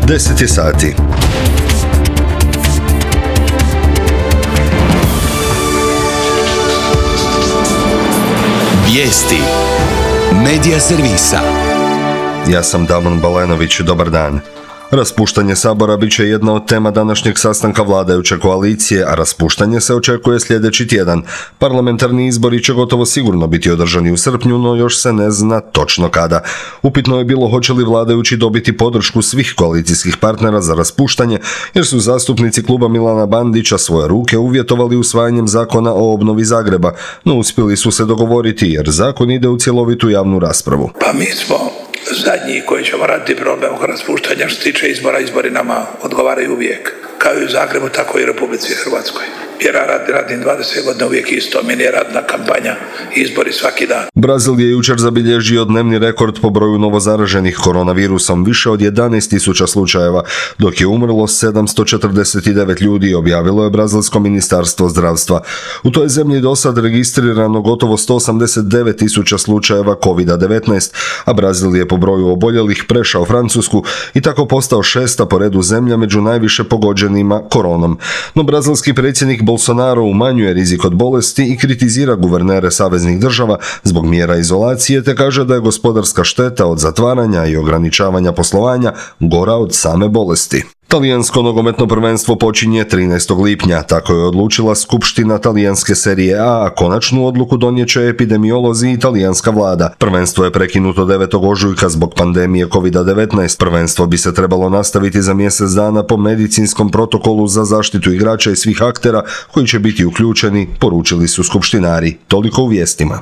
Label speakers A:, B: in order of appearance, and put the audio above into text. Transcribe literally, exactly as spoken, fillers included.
A: deset je sati.
B: Vijesti Medija servisa.
A: Ja sam Damon Balenović, dobar dan. Raspuštanje Sabora bit će jedna od tema današnjeg sastanka vladajuće koalicije, a raspuštanje se očekuje sljedeći tjedan. Parlamentarni izbori će gotovo sigurno biti održani u srpnju, no još se ne zna točno kada. Upitno je bilo hoće li vladajući dobiti podršku svih koalicijskih partnera za raspuštanje, jer su zastupnici kluba Milana Bandića svoje ruke uvjetovali usvajanjem zakona o obnovi Zagreba, no uspjeli su se dogovoriti jer zakon ide u cjelovitu javnu raspravu.
C: Pa mi smo zadnji koji ćemo raditi problem oko raspuštanja. Što se tiče izbora, izbori nama odgovaraju uvijek. Kao i u Zagrebu, tako i u Republici Hrvatskoj. Jer ja radim, radim dvadeset godina uvijek isto, meni je radna kampanja, izbori svaki dan.
A: Brazil je jučer zabilježio dnevni rekord po broju novozaraženih koronavirusom, više od jedanaest tisuća slučajeva, dok je umrlo sedamsto četrdeset devet ljudi, objavilo je Brazilsko ministarstvo zdravstva. U toj zemlji do sad registrirano gotovo sto osamdeset devet tisuća slučajeva kovid devetnaest, a Brazil je po broju oboljelih prešao Francusku i tako postao šesta po redu zemlja među najviše pogođenima koronom. No brazilski predsjednik Bolsonaro umanjuje rizik od bolesti i kritizira guvernere saveznih država zbog mjera izolacije, te kaže da je gospodarska šteta od zatvaranja i ograničavanja poslovanja gora od same bolesti. Talijansko nogometno prvenstvo počinje trinaestog lipnja, tako je odlučila skupština talijanske serije A, a konačnu odluku donijet će epidemiolozi i talijanska vlada. Prvenstvo je prekinuto devetog ožujka zbog pandemije kovid devetnaest. Prvenstvo bi se trebalo nastaviti za mjesec dana po medicinskom protokolu za zaštitu igrača i svih aktera koji će biti uključeni, poručili su skupštinari. Toliko u vijestima.